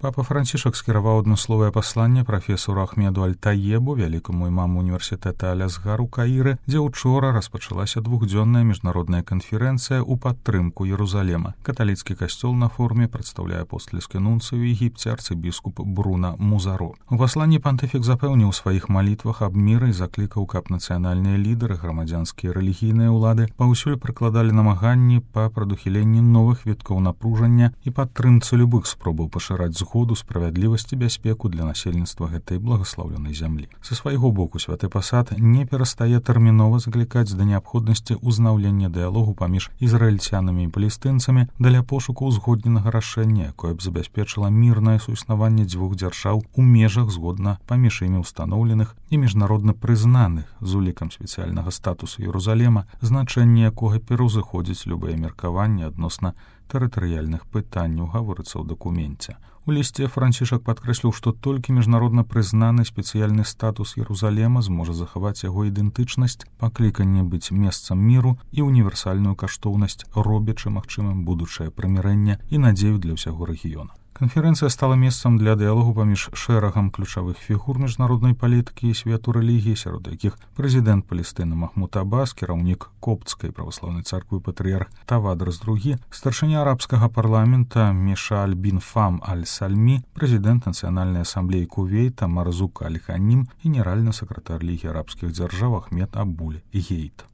Папа Францішак скіраваў адмысловае пасланне прафесору Ахмеду Аль-Таебу, вялікаму імаму універсітэта Аль-Азгар у Каіры, дзе ўчора распачалася двухдзённая міжнародная канферэнцыя ў падтрымку Єрусалема. Каталіцкі касцёл на форуме прадстаўляе апостальскі нунцый у Егіпце арцыбіскуп Бруна Музаро. У пасланні пантыфік запэўніў у сваіх малітвах аб міры і заклікаў, каб нацыянальныя лідары, грамадзянскія і рэлігійныя ўлады паўсюль прыкладалі намаганні па прадухіленні новых віткоў напружання і падтрымцы любых спробаў пашыраць згоду, справядлівасць і бяспеку для насельніцтва гэтай благаслаўленай зямлі. Са свайго боку святы пасад не перастае тэрмінова заклікаць да неабходнасці ўзнаўлення дыялогу паміж ізраільцянамі і палестынцамі для пошуку ўзгодненага рашэння, якое б забяспечыла мірнае суіснаванне дзвюх дзяржаў у межах згодна паміж імі ўстаноўленых і міжнародна прызнаных з улікам спецыяльнага статусу Єрусалема, значэнне якога пераўзыходзіць любыя меркаванні адносна тэрытарыяльных пытанняў, гаворыцца ў дакуменце. У лісце Францішак падкрэсліў, што толькі міжнародна прызнаны спецыяльны статус Єрусалема зможа захаваць яго ідэнтычнасць, пакліканне быць месцам міру і універсальную каштоўнасць, робячы магчымым будучае прымірэнне і надзею для ўсяго рэгіёна. Канферэнцыя стала месцам для дыялогу паміж шэрагам ключавых фігур міжнароднай палітыкі і свету рэлігіі, сярод якіх прэзідэнт Палестыны Махмуд Аббас, кіраўнік Коптскай праваслаўнай царквы патрыярх Тавадрас II, старшыня арабскага парламента Мишаль бін Фам Аль-Сальмі, прэзідэнт Нацыянальнай асамблеі Кувейта Марзук Аль-Ханім і генеральны сакратар Лігі арабскіх дзяржаў Ахмед Абуль Гейт.